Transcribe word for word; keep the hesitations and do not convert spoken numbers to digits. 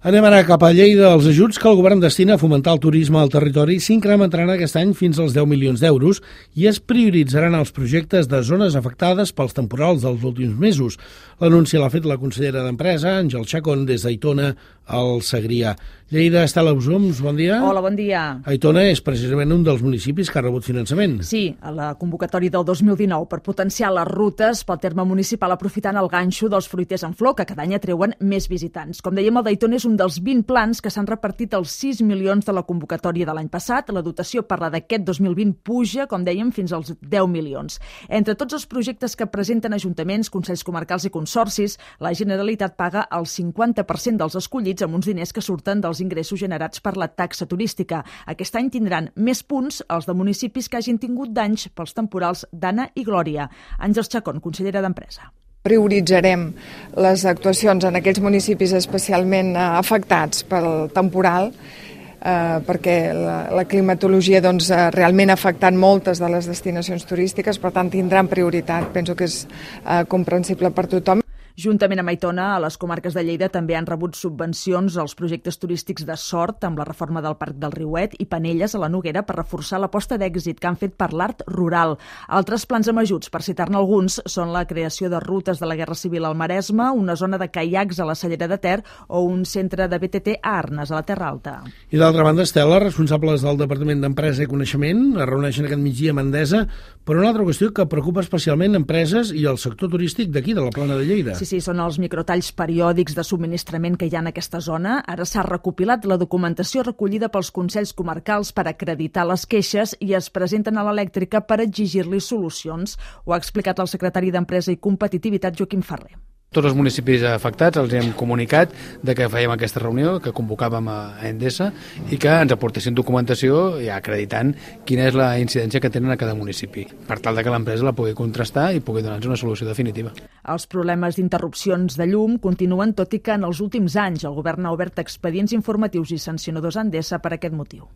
Anem ara cap a Lleida. Els ajuts que el govern destina a fomentar el turisme al territori s'incrementaran aquest any fins als deu milions d'euros i es prioritzaran els projectes de zones afectades pels temporals dels últims mesos. L'anunci l'ha fet la consellera d'Empresa, Àngel Chacón, des d'Aitona al Segrià. Lleida, Estela Usums, bon dia. Hola, bon dia. Aitona és precisament un dels municipis que ha rebut finançament. Sí, a la convocatòria del dos mil dinou per potenciar les rutes pel terme municipal aprofitant el ganxo dels fruiters en flor, que cada any atreuen més visitants. Com dèiem, el d'Aitona és un dels vint plans que s'han repartit els sis milions de la convocatòria de l'any passat. La dotació per la d'aquest dos mil vint puja, com dèiem, fins als deu milions. Entre tots els projectes que presenten ajuntaments, consells comarcals i consorcis, la Generalitat paga el cinquanta per cent dels escollits amb uns diners que surten dels ingressos generats per la taxa turística. Aquest any tindran més punts els de municipis que hagin tingut danys pels temporals d'Anna i Glòria. Àngels Chacón, consellera d'Empresa. Prioritzarem les actuacions en aquells municipis especialment afectats pel temporal, eh, perquè la, la climatologia doncs, realment ha afectat moltes de les destinacions turístiques, per tant tindran prioritat. Penso que és eh, comprensible per tothom. Juntament amb Aitona, a les comarques de Lleida també han rebut subvencions als projectes turístics de Sort amb la reforma del Parc del Riuet i Penelles a la Noguera per reforçar l'aposta d'èxit que han fet per l'art rural. Altres plans amb ajuts, per citar-ne alguns, són la creació de rutes de la Guerra Civil al Maresme, una zona de caiacs a la Cellera de Ter o un centre de B T T a Arnes, a la Terra Alta. I d'altra banda, Estela, responsables del Departament d'Empresa i Coneixement es reuneixen aquest migdia a Mandesa per una altra qüestió que preocupa especialment empreses i el sector turístic d'aquí, de la Plana de Lleida. Sí, sí, són els microtalls periòdics de subministrament que hi ha en aquesta zona. Ara s'ha recopilat la documentació recollida pels consells comarcals per acreditar les queixes i es presenten a l'elèctrica per exigir-li solucions. Ho ha explicat el secretari d'Empresa i Competitivitat, Joaquim Ferrer. Tots els municipis afectats els hem comunicat de que fèiem aquesta reunió, que convocàvem a Endesa i que ens aportessin documentació ja acreditant quina és la incidència que tenen a cada municipi, per tal de que l'empresa la pugui contrastar i pugui donar-nos una solució definitiva. Els problemes d'interrupcions de llum continuen, tot i que en els últims anys el govern ha obert expedients informatius i sancionadors a Endesa per aquest motiu.